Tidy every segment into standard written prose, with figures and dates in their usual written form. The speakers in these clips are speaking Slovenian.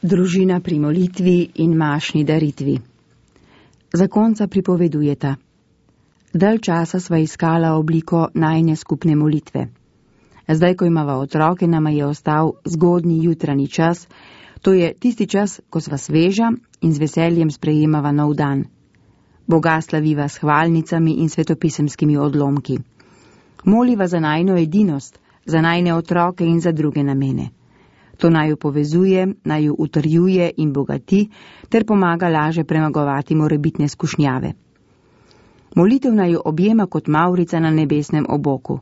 Družina pri molitvi in mašni daritvi. Zakonca pripovedujeta. Dalj časa sva iskala obliko najine skupne molitve. Zdaj, ko imava otroke, nama je ostal zgodnji jutranji čas, to je tisti čas, ko sva sveža in z veseljem sprejemava nov dan. Boga slaviva s hvalnicami in svetopisemskimi odlomki. Moliva za najino edinost, za najine otroke in za druge namene. To naj jo povezuje, naj jo utrjuje in bogati, ter pomaga laže premagovati morebitne skušnjave. Molitev naj jo objema kot mavrica na nebesnem oboku,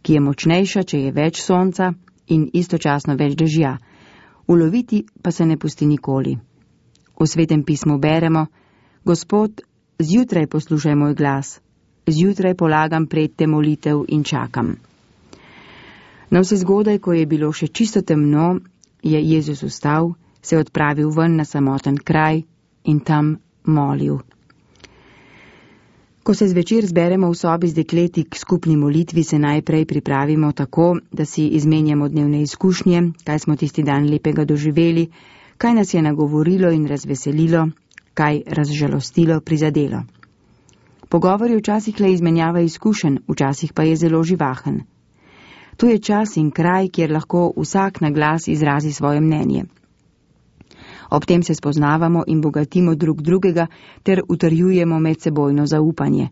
ki je močnejša, če je več sonca in istočasno več dežja, uloviti pa se ne pusti nikoli. V Svetem pismu beremo: Gospod, zjutraj poslušaj moj glas, zjutraj polagam predte molitev in čakam. Na vse zgodaj, ko je bilo še čisto temno, je Jezus vstal, se odpravil ven na samoten kraj in tam molil. Ko se zvečer zberemo v sobi z dekleti k skupni molitvi, se najprej pripravimo tako, da si izmenjamo dnevne izkušnje, kaj smo tisti dan lepega doživeli, kaj nas je nagovorilo in razveselilo, kaj razžalostilo, prizadelo. Pogovor je včasih le izmenjava izkušenj, včasih pa je zelo živahen. To je čas in kraj, kjer lahko vsak na glas izrazi svoje mnenje. Ob tem se spoznavamo in bogatimo drug drugega ter utrjujemo medsebojno zaupanje.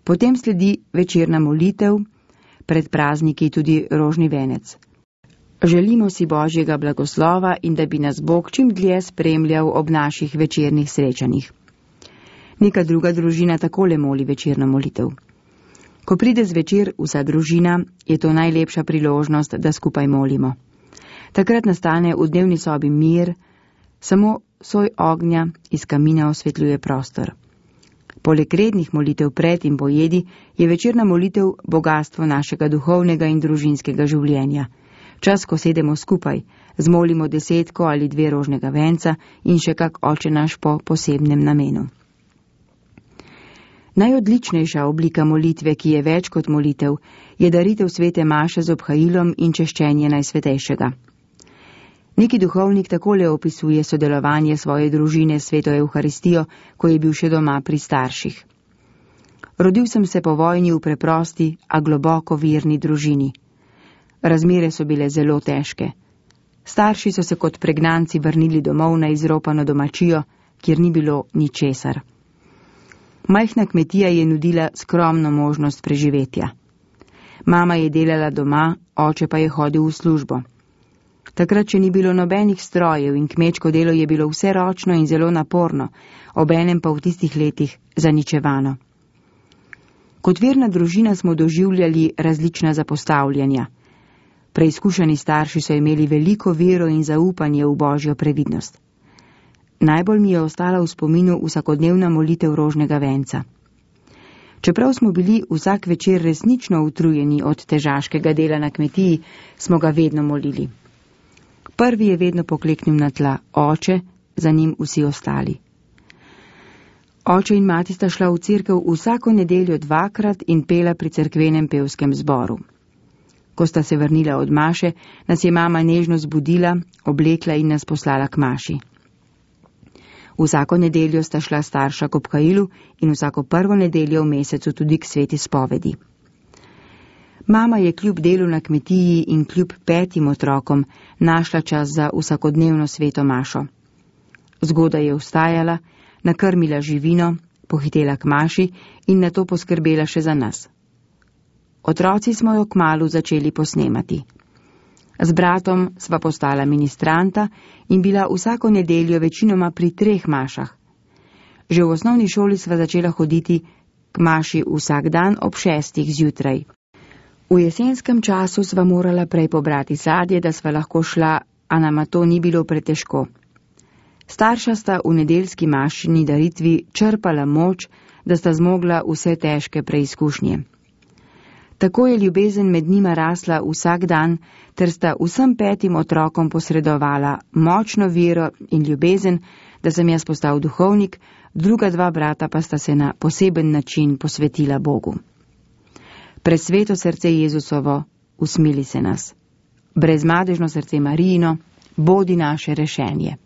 Potem sledi večerna molitev, pred prazniki tudi rožni venec. Želimo si Božjega blagoslova in da bi nas Bog čim dlje spremljal ob naših večernih srečanjih. Neka druga družina takole moli večerno molitev. Ko pride zvečer vsa družina, je to najlepša priložnost, da skupaj molimo. Takrat nastane v dnevni sobi mir, samo soj ognja iz kamina osvetljuje prostor. Poleg rednih molitev pred in po jedi je večerna molitev bogastvo našega duhovnega in družinskega življenja. Čas, ko sedemo skupaj, zmolimo 10 ali 2 rožnega venca in še kak oče naš po posebnem namenu. Najodličnejša oblika molitve, ki je več kot molitev, je daritev svete maše z obhajilom in češčenje Najsvetejšega. Neki duhovnik takole opisuje sodelovanje svoje družine s sveto Evharistijo, ko je bil še doma pri starših. Rodil sem se po vojni v preprosti, a globoko verni družini. Razmere so bile zelo težke. Starši so se kot pregnanci vrnili domov na izropano domačijo, kjer ni bilo ničesar. Majhna kmetija je nudila skromno možnost preživetja. Mama je delala doma, oče pa je hodil v službo. Takrat, če ni bilo nobenih strojev in kmečko delo je bilo vse ročno in zelo naporno, obenem pa v tistih letih zaničevano. Kot verna družina smo doživljali različna zapostavljanja. Preizkušeni starši so imeli veliko vero in zaupanje v Božjo previdnost. Najbolj mi je ostala v spominu vsakodnevna molitev rožnega venca. Čeprav smo bili vsak večer resnično utrujeni od težaškega dela na kmetiji, smo ga vedno molili. Prvi je vedno pokleknil na tla, oče, za njim vsi ostali. Oče in mati sta šla v cerkev vsako nedeljo 2-krat in pela pri cerkvenem pevskem zboru. Ko sta se vrnila od maše, nas je mama nežno zbudila, oblekla in nas poslala k maši. Vsako nedeljo sta šla starša k obhajilu in vsako prvo nedeljo v mesecu tudi k sveti spovedi. Mama je kljub delu na kmetiji in kljub 5 otrokom našla čas za vsakodnevno sveto mašo. Zgodaj je vstajala, nakrmila živino, pohitela k maši in nato poskrbela še za nas. Otroci smo jo kmalu začeli posnemati. Z bratom sva postala ministranta in bila vsako nedeljo večinoma pri 3 mašah. Že v osnovni šoli sva začela hoditi k maši vsak dan ob 6 zjutraj. V jesenskem času sva morala prej pobrati sadje, da sva lahko šla, a nama to ni bilo pretežko. Starša sta v nedeljski mašini daritvi črpala moč, da sta zmogla vse težke preizkušnje. Tako je ljubezen med njima rasla vsak dan, ter sta vsem 5 otrokom posredovala močno vero in ljubezen, da sem jaz postal duhovnik, druga 2 brata pa sta se na poseben način posvetila Bogu. Presveto srce Jezusovo, usmili se nas. Brezmadežno srce Marijino, Bodi naše rešenje.